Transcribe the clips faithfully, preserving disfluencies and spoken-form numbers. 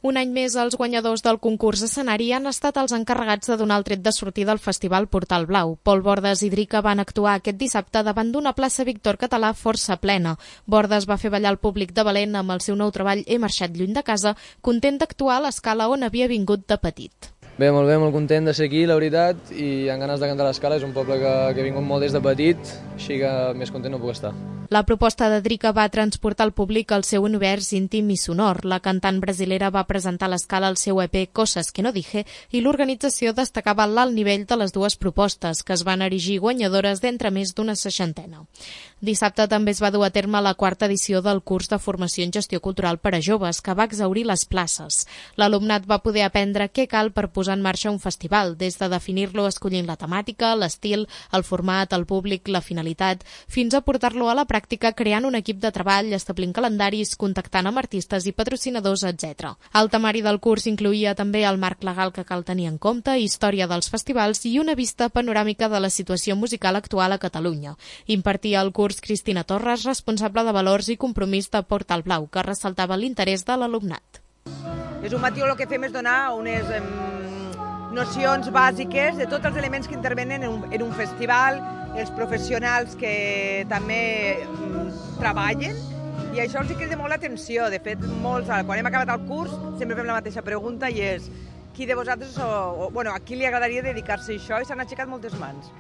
Un any més, els guanyadors del concurs escenari han estat els encarregats de donar el tret de sortida al Festival Portal Blau. Pol Bordes i Drica van actuar aquest dissabte davant d'una plaça Víctor Català força plena. Bordes va fer ballar el públic de Valent amb el seu nou treball He marxat lluny de casa, content d'actuar a l'escala on havia vingut de petit. Bé, molt bé, molt content de ser aquí, la veritat, i amb ganes de cantar a l'Escala. És un poble que, que he vingut molt des de petit, així que més content no puc estar. La proposta de Drica va transportar el públic al seu univers íntim i sonor. La cantant brasilera va presentar a l'Escala el seu E P Coses que no dije i l'organització destacava l'alt nivell de les dues propostes, que es van erigir guanyadores d'entre més d'una seixantena. Dissabte també es va dur a terme la quarta edició del curs de formació en gestió cultural per a joves, que va exhaurir les places. L'alumnat va poder aprendre què cal per posar en marxa un festival, des de definir-lo escollint la temàtica, l'estil, el format, el públic, la finalitat, fins a portar-lo a la pràctica creant un equip de treball, establint calendaris, contactant amb artistes i patrocinadors, etcètera. El temari del curs incloïa també el marc legal que cal tenir en compte, història dels festivals i una vista panoràmica de la situació musical actual a Catalunya. Impartia el curs Cristina Torres, responsable de valors i compromís de Portal Blau, que ressaltava l'interès de l'alumnat. És un matí el que fem és donar unes em, nocions bàsiques de tots els elements que intervenen en un, en un festival, els professionals que també em, treballen, i això els crida molt l'atenció. De fet, molts, quan hem acabat el curs, sempre fem la mateixa pregunta i és qui de vosaltres, o, o, bueno, a qui li agradaria dedicar-se a això, i s'han aixecat moltes mans.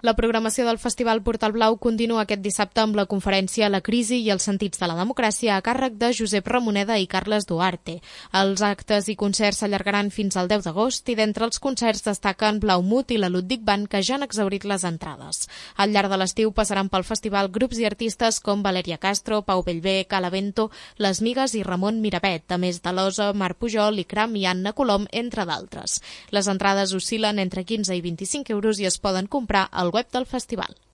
La programació del Festival Portal Blau continua aquest dissabte amb la conferència La crisi i els sentits de la democràcia a càrrec de Josep Ramoneda i Carles Duarte. Els actes i concerts s'allargaran fins al deu d'agost i d'entre els concerts destaquen Blaumut i la Ludwig Band, que ja han exhaurit les entrades. Al llarg de l'estiu passaran pel festival grups i artistes com Valeria Castro, Pau Bellver, Calavento, Les Migues i Ramon Miravet, a més de l'Osa, Marc Pujol, Ikram i Anna Colom, entre d'altres. Les entrades oscil·len entre quinze i vint-i-cinc euros i es poden comprar al web del festival.